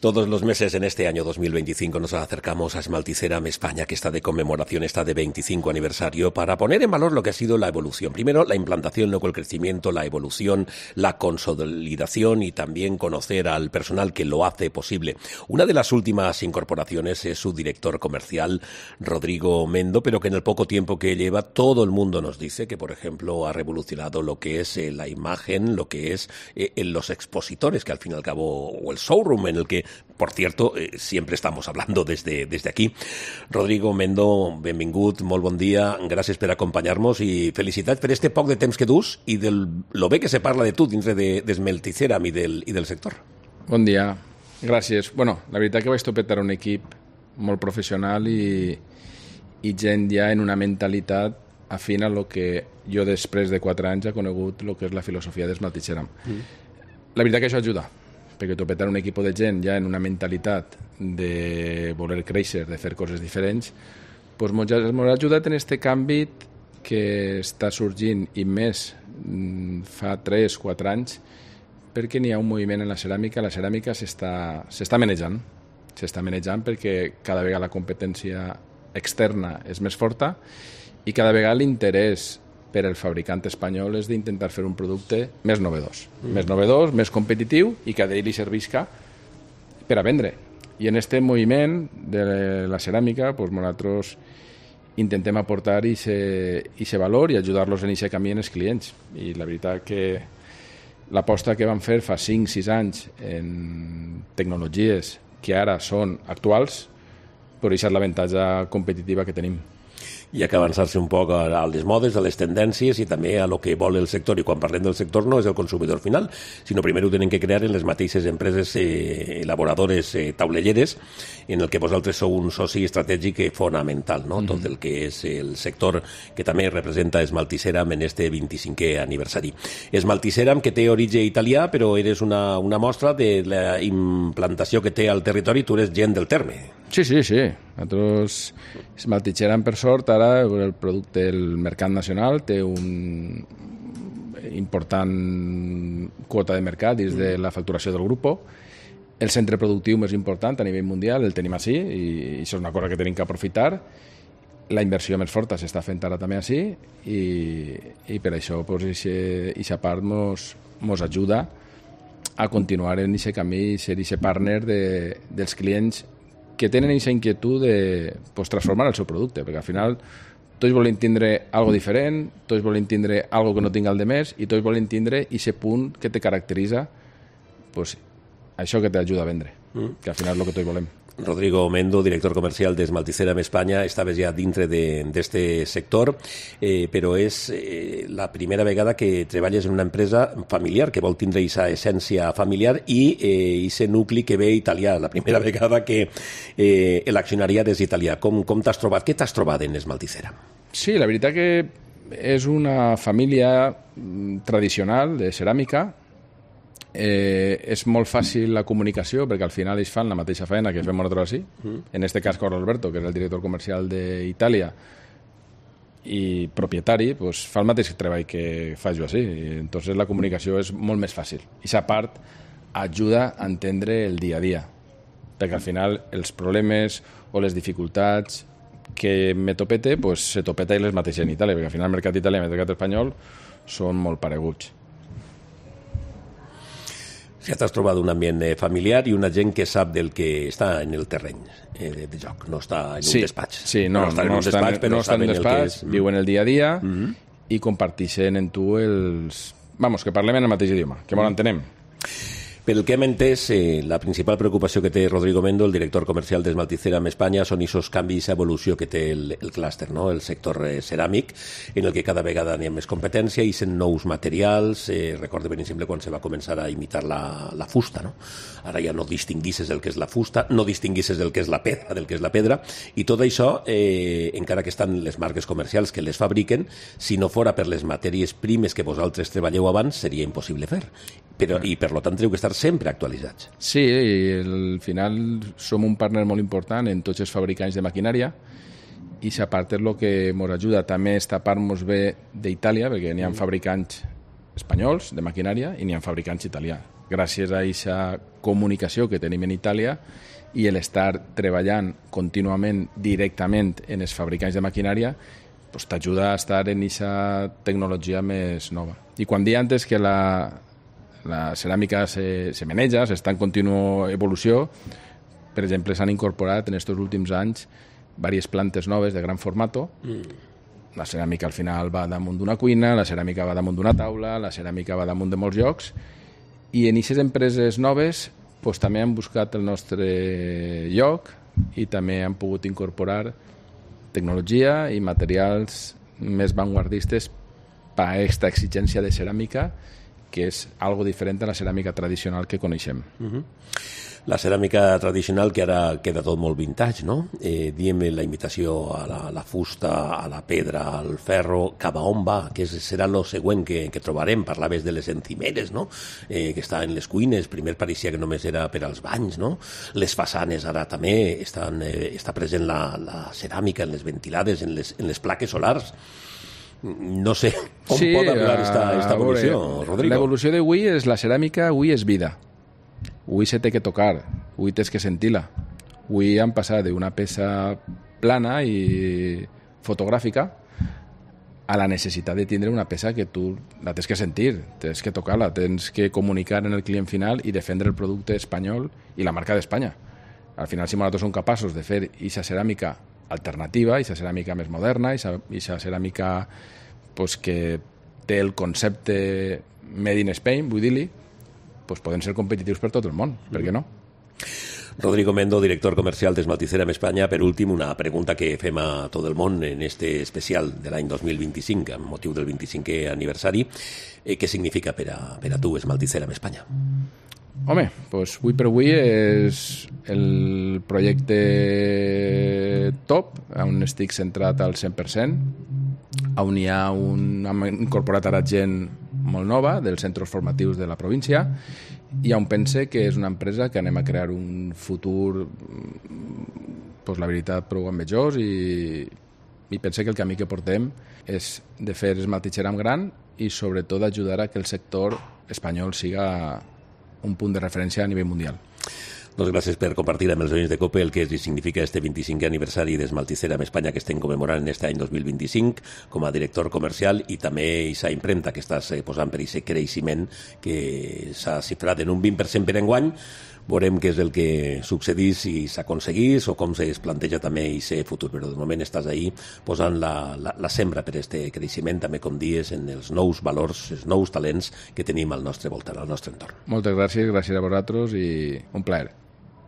Todos los meses en este año 2025 nos acercamos a Esmalticeram España, que está de conmemoración, está de 25 aniversario, para poner en valor lo que ha sido la evolución. Primero, la implantación, luego el crecimiento, la evolución, la consolidación y también conocer al personal que lo hace posible. Una de las últimas incorporaciones es su director comercial, Rodrigo Mendo, pero que en el poco tiempo que lleva, todo el mundo nos dice que, por ejemplo, ha revolucionado lo que es la imagen, lo que es los expositores, que al fin y al cabo, o el showroom en el que, por cierto, siempre estamos hablando desde aquí. Rodrigo Mendo, benvingut, molt bon dia, gràcies per acompanyar-nos i felicitats per este poc de temps que dus i lo bé que se parla de tu dintre d'Esmalticeram i del sector. Bon dia, gràcies. Bueno, la veritat que vaig topetar un equip molt professional i gent ja en una mentalitat afín a lo que jo després de 4 anys he conegut el que és la filosofia d'Esmalticeram. La veritat que això ajuda, perquè topetar un equip de gent ja en una mentalitat de voler créixer, de fer coses diferents, pues m'ha ajudat en este canvi que està sorgint i més fa 3-4 anys, perquè n'hi ha un moviment en la ceràmica. La ceràmica s'està manejant. S'està manejant perquè cada vegada la competència externa és més forta i cada vegada l'interès per al fabricant espanyol és d'intentar fer un producte més novedós, més competitiu i que a ell li servisca per a vendre. I en aquest moviment de la ceràmica nosaltres intentem aportar aquest valor i ajudar-los en aquest camí en els clients. I la veritat que l'aposta que vam fer fa 5-6 anys en tecnologies que ara són actuals, però això és l'avantatge competitiva que tenim. Hi ha que avançar-se un poc a les modes, a les tendències i també a lo que vol el sector. I quan parlem del sector no és el consumidor final, sinó primer ho tenen que crear en les mateixes empreses elaboradores taulelleres, en el que vosaltres sou un soci estratègic fonamental, no? Tot el que és el sector que també representa Esmalticeram en este 25è aniversari. Esmalticeram, que té origen italià, però eres una mostra de la implantació que té al territori. Tu eres gent del terme. Sí. Nosaltres, Esmalticeram, per sort, ara el producte del mercat nacional té un important quota de mercat dins de la facturació del grup. El centre productiu més important a nivell mundial el tenim així i això és una cosa que tenim que aprofitar. La inversió més forta s'està fent ara també així i per això aquesta part ens ajuda a continuar en aquest camí i ser aquest partner dels clients que tenen aquesta inquietud de transformar el seu producte, perquè al final tots volen tindre algo diferent, tots volen tindre algo que no tinga el de més i tots volen tindre aquest punt que te caracteritza, això que t'ajuda a vendre, que al final és el que tots volem. Rodrigo Mendo, director comercial d'Esmalticeram España, estaves ja dintre d'este sector, però és la primera vegada que treballes en una empresa familiar, que vol tindre aquesta essència familiar i aquest nucli que ve italià, la primera vegada que l'accionariat és italià. Com t'has trobat? Què t'has trobat en Esmalticeram? Sí, la veritat que és una família tradicional de ceràmica. És molt fàcil la comunicació perquè al final ells fan la mateixa feina que fem nosaltres així. En este cas Carlos Alberto, que és el director comercial d'Itàlia i propietari, fa el mateix treball que faig jo així. Entonces la comunicació és molt més fàcil. I aquesta part ajuda a entendre el dia a dia, perquè al final els problemes o les dificultats que me topete, se topeta i les mateixes en Itàlia, perquè al final el mercat italià i el mercat espanyol són molt pareguts. Ja t'has trobat un ambient familiar i una gent que sap del que està en el terreny de joc, no està en un despatx. Sí, no estan en un despatx, viuen el dia a dia i comparteixen en tu que parlem en el mateix idioma, que molt entenem. Pel que hem entès, la principal preocupació que té Rodrigo Mendo, el director comercial d'Esmalticeram España, són aquests canvis i evolució que té el clúster, no? El sector ceràmic, en el que cada vegada n'hi ha més competència i sent nous materials. Recordo ben exemple quan se va començar a imitar la fusta, no? Ara ja no distinguisses el que és la fusta, no distinguisses el que és la pedra del que és la pedra, i tot això, encara que estan les marques comercials que les fabriquen, si no fora per les matèries primes que vosaltres treballeu abans, seria impossible fer. I per tant teniu que estar sempre actualitzats. Sí, i al final som un partner molt important en tots els fabricants de maquinària i aquesta part és el que ens ajuda també a tapar-nos bé d'Itàlia, perquè n'hi ha fabricants espanyols de maquinària i n'hi ha fabricants italians. gràcies a aquesta comunicació que tenim en Itàlia i l'estar treballant contínuament directament en els fabricants de maquinària, pues, t'ajuda a estar en aquesta tecnologia més nova. I quan dia antes que la ceràmica se maneja, s'està en contínua evolució, per exemple, s'han incorporat en aquests últims anys diverses plantes noves de gran formato. La ceràmica al final va damunt d'una cuina, la ceràmica va damunt d'una taula, la ceràmica va damunt de molts llocs, i en aquestes empreses noves pues, també han buscat el nostre lloc i també han pogut incorporar tecnologia i materials més vanguardistes per a aquesta exigència de ceràmica, que és algo diferent a la ceràmica tradicional que coneixem. La ceràmica tradicional, que ara queda tot molt vintage, no? Diem la imitació a la fusta, a la pedra, al ferro, cap a on va? Que serà el següent que trobarem? Parlaves de les encimeres, no? Que està en les cuines. Primer pareixia que només era per als banys, no? Les façanes ara també està present la ceràmica en les ventilades, en les plaques solars. No sé com pot arribar esta evolució, Rodrigo. L'evolució d'avui és la ceràmica, avui és vida. Avui se té que tocar, avui tens que sentir-la. Avui han passat d'una peça plana i fotogràfica a la necessitat de tindre una peça que tu la tens que sentir, tens que tocar-la, tens que comunicar en el client final i defendre el producte espanyol i la marca d'Espanya. Al final, si nosaltres som capaços de fer aquesta ceràmica alternativa, aquesta ceràmica més moderna, aquesta ceràmica pues, que té el concepte Made in Spain, vull dir-li, pues poden ser competitius per tot el món, per què no? Rodrigo Mendo, director comercial d'Esmalticera en Espanya. Per últim, una pregunta que fem a tot el món en este especial de l'any 2025, amb motiu del 25è aniversari. Què significa per a tu Esmalticera en Espanya? Home, doncs avui per avui és el projecte top, on estic centrat al 100%, on hem incorporat ara gent molt nova dels centres formatius de la província i on pense que és una empresa que anem a crear un futur, pues, la veritat, prou ambiciós i pense que el camí que portem és de fer esmaltitxera en gran i sobretot ajudar a que el sector espanyol siga un punt de referència a nivell mundial. Doncs gràcies per compartir amb els oients de COPE el que significa este 25è aniversari d'Esmalticera en Espanya que estem commemorant en aquest any 2025 com a director comercial i també aquesta impremta que estàs posant per aquest creixement que s'ha xifrat en un 20% per enguany. Veurem què és el que succeís si s'aconseguís o com es planteja també aquest futur, però de moment estàs ahí posant la sembra per aquest creixement, també com dies, en els nous valors, els nous talents que tenim al nostre voltant, al nostre entorn. Moltes gràcies a vosaltres i un plaer.